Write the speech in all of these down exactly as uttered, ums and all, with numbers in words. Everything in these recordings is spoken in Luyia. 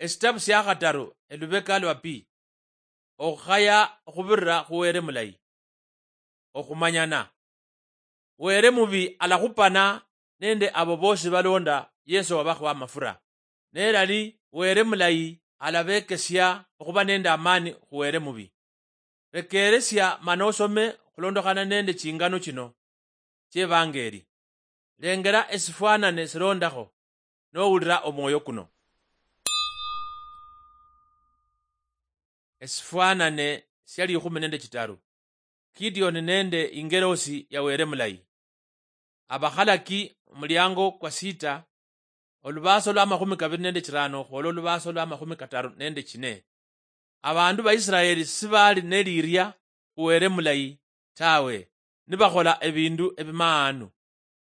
Esitabu siakhataru elubeka lwa pi. Okhukhaya okhubirira khu Were mulayi. Okhumanyana. Were mubi alakhupana nende abo bosi balonda Yesu wabakhuwa amafura. Nelali Were mulayi alabekesia okhuba nende amani khu Were mubi. Rekeresia mana osome khulondokhana nende chingano chino chievangeli. Lengera esifwanane silondakho nowulira omwoyo kuno. Esifwanane sia likhumi nende chitaru. Gideoni nende ingerosi ya Were mulayi. Abakhalaki, omuliango kwa sita, olubaaso lwa amakhumi kabiri nende chirano khwola olubaaso lwa amakhumi kataru nende chine. Abandu ba Isiraeli sibali neliria khu Were mulayi tawe, nibakhola ebindu ebimaanu.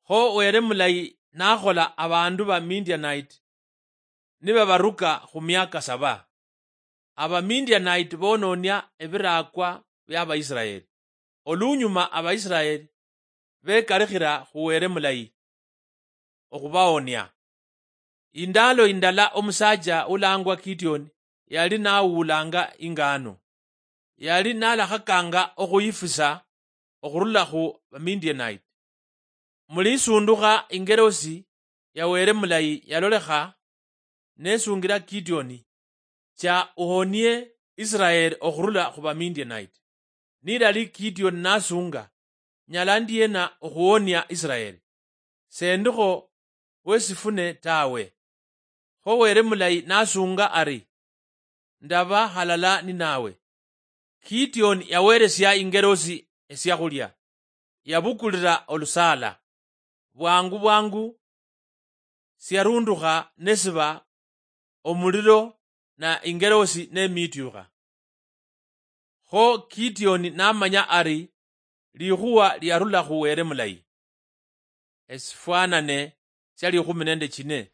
Kho Were mulayi nakhola abandu ba Midianite nibabaruka khu miaka saba. Abamidianite bononia ebiraakwa bia Abaisiraeli. Olunyuma Abaisiraeli bekalikhira khu Were mulayi okhubaonia. Indaalo indala omusaacha ulangwa Gideoni yali nawuulanga ingano. Yali nalakhakanga okhuyifisa okhurula khu Bamidianite. Mulisundukha ingerosi ya Were mulayi yalolekha nesungira Gideoni, cha uhonie Israeli okhurula khu Bamidianite. Nilali Gideoni nasunga, nyala ndiena okhuonia Israeli? Sendikho wesifune tawe. Kho Were mulayi nasunga ari, ndaba halala ninawe. Gideoni yaweresia ingerosi esiakhulya, yabukulira olusaala. Bwangu bwangu siarundukha nesiba omuliro na ingerosi nemiityukha. Kho Gideoni namanya ari likhuwa liarula khu Were mulayi. Esifwanane sia likhumi nende chine.